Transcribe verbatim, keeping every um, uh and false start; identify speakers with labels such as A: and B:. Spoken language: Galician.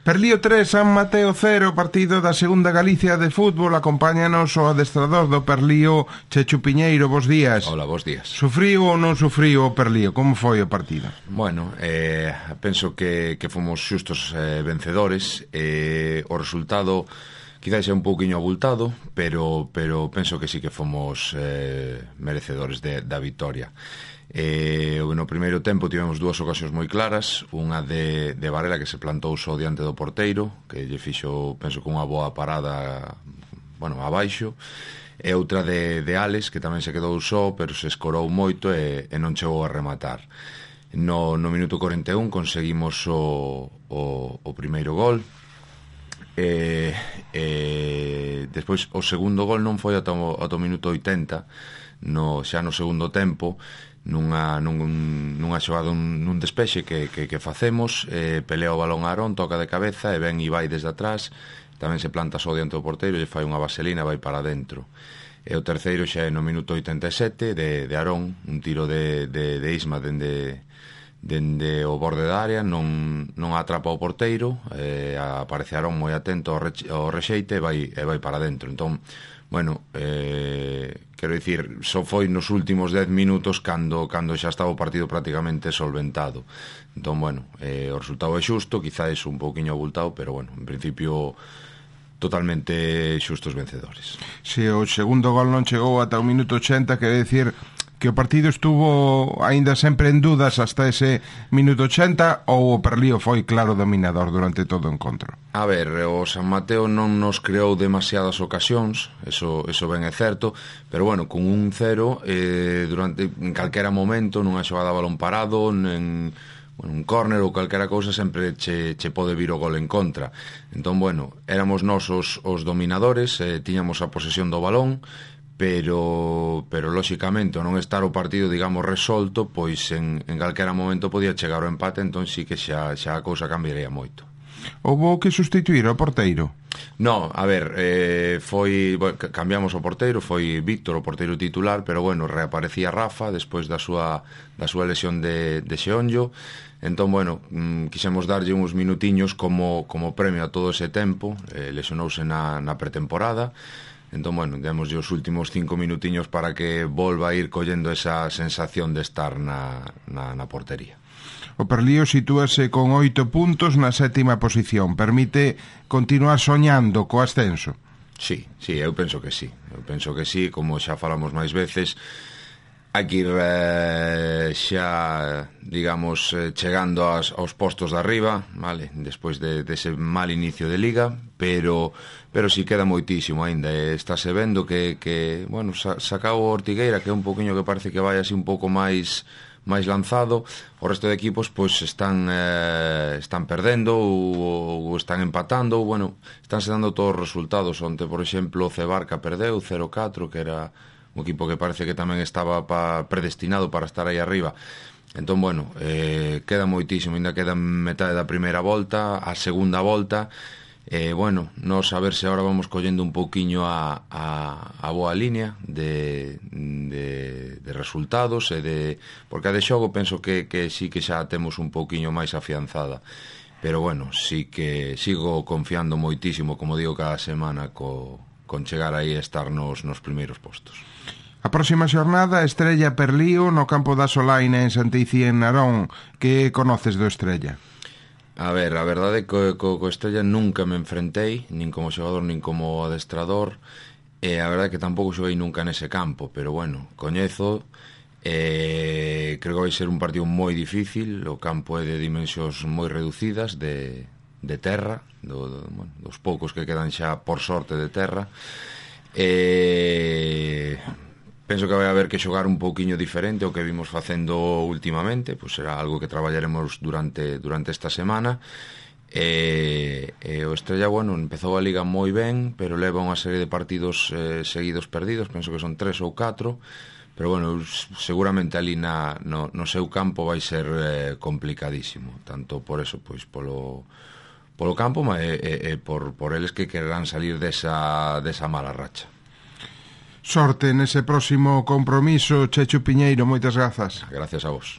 A: Perlío tres, San Mateo cero, partido da segunda Galicia de fútbol. Acompáñanos o adestrador do Perlío, Chechu Piñeiro. Bos días.
B: Hola, bos días.
A: Sufriu ou non sufriu o Perlío? Como foi o partido?
B: Bueno, eh, penso que, que fomos xustos eh, vencedores. eh, O resultado quizás é un pouquiño abultado, pero, pero penso que sí que fomos eh, merecedores de, da vitoria. Eh, no primeiro tempo tivemos dúas ocasións moi claras, unha de, de Varela que se plantou só diante do porteiro, que lle fixo, penso que unha boa parada, bueno, abaixo, e outra de, de Alex, que tamén se quedou só, pero se escorou moito e, e non chegou a rematar. No, no minuto cuarenta e un conseguimos o, o, o primeiro gol, e, e despois o segundo gol non foi ata o, ata o minuto oitenta, no, xa no segundo tempo, nunha, nun, nunha xogada nun, nun despexe que, que, que facemos, eh, pelea o balón a Arón, toca de cabeza e ven Ibai desde atrás, tamén se planta só diante do porteiro, lle fai unha vaselina, vai para dentro. E o terceiro xa é no minuto oitenta e sete de, de Arón, un tiro de, de, de Isma dende, dende o borde da área, non, non atrapa o porteiro, eh, aparece Arón moi atento ao, reche, ao rexeite e vai, e vai para dentro. Entón, bueno, eh, quero dicir, só foi nos últimos dez minutos cando, cando xa estaba o partido prácticamente solventado. Entón, bueno, eh, o resultado é xusto, quizás un pouquiño abultado, pero bueno, en principio totalmente xustos vencedores.
A: Se o segundo gol non chegou ata o minuto ochenta, quere dicir que o partido estuvo aínda sempre en dudas hasta ese minuto ochenta, ou o Perlío foi claro dominador durante todo o encontro?
B: A ver, o San Mateo non nos creou demasiadas ocasións, eso, eso ben é certo, pero bueno, con un cero, eh, durante, en calquera momento, nunha xogada a balón parado, en, bueno, un córner ou calquera cousa, sempre che, che pode vir o gol en contra. Entón, bueno, éramos nós os, os dominadores, eh, tiñamos a posesión do balón, pero, pero lóxicamente ao non estar o partido, digamos, resolto, pois en, en calquera momento podía chegar o empate, entón sí que xa, xa a cousa cambiaría moito.
A: Houbo que sustituir o porteiro?
B: No, a ver, eh, foi, bueno, cambiamos o porteiro, foi Víctor o porteiro titular, pero bueno, reaparecía Rafa despois da súa, da súa lesión de, de xeonllo. Entón, bueno, mm, quixemos darlle uns minutiños como, como premio a todo ese tempo, eh, lesionouse na, na pretemporada. Entón, bueno, demos os últimos cinco minutiños para que volva a ir collendo esa sensación de estar na, na, na portería.
A: O Perlío sitúase con oito puntos na sétima posición. Permite continuar soñando co ascenso?
B: Sí, sí, eu penso que sí. Eu penso que sí, como xa falamos máis veces, hai que ir eh, xa, digamos, eh, chegando aos, aos postos de arriba, vale, despois de, de ese mal inicio de liga, pero pero si sí queda moitísimo aínda. Estáse vendo que, que bueno, sa, sacao o Ortigueira, que é un poquinho que parece que vai así un pouco máis máis lanzado. O resto de equipos pois están eh, están perdendo ou, ou están empatando, ou, bueno, estánse dando todos os resultados. Onte, por exemplo, o Cebarca perdeu cero catro, que era un equipo que parece que tamén estaba pa, predestinado para estar aí arriba. Entón, bueno, eh, queda moitísimo, ainda queda metade da primeira volta, a segunda volta. Eh, bueno, nos a ver se agora vamos collendo un pouquiño a, a, a boa línea de, de, de resultados e de, porque a de xogo penso que, que sí que xa temos un pouquiño máis afianzada, pero bueno, sí que sigo confiando moitísimo, como digo cada semana, co, con chegar aí a estar nos, nos primeiros postos.
A: A próxima xornada, Estrella Perlío no campo da Solaina en Santeicí en Narón. Que conoces do Estrella?
B: A ver, a verdade é que co, co Estrella nunca me enfrentei, nin como xogador, nin como adestrador, e a verdade é que tampouco xoguei nunca nese campo, pero bueno, coñezo, e creo que vai ser un partido moi difícil. O campo é de dimensións moi reducidas, de, de terra, do, do, bueno, dos poucos que quedan xa por sorte de terra, e penso que vai haber que xogar un pouquiño diferente o que vimos facendo últimamente, pois será algo que traballaremos durante, durante esta semana. E, e o Estrella, bueno, empezou a Liga moi ben, pero leva unha serie de partidos eh, seguidos perdidos, penso que son tres ou catro, pero bueno, seguramente ali na, no, no seu campo vai ser eh, complicadísimo, tanto por eso, pois polo, polo campo e, e, e por, por eles que querrán salir desa, desa mala racha.
A: Sorte nese próximo compromiso, Chechu Piñeiro, moitas grazas.
B: Gracias a vos.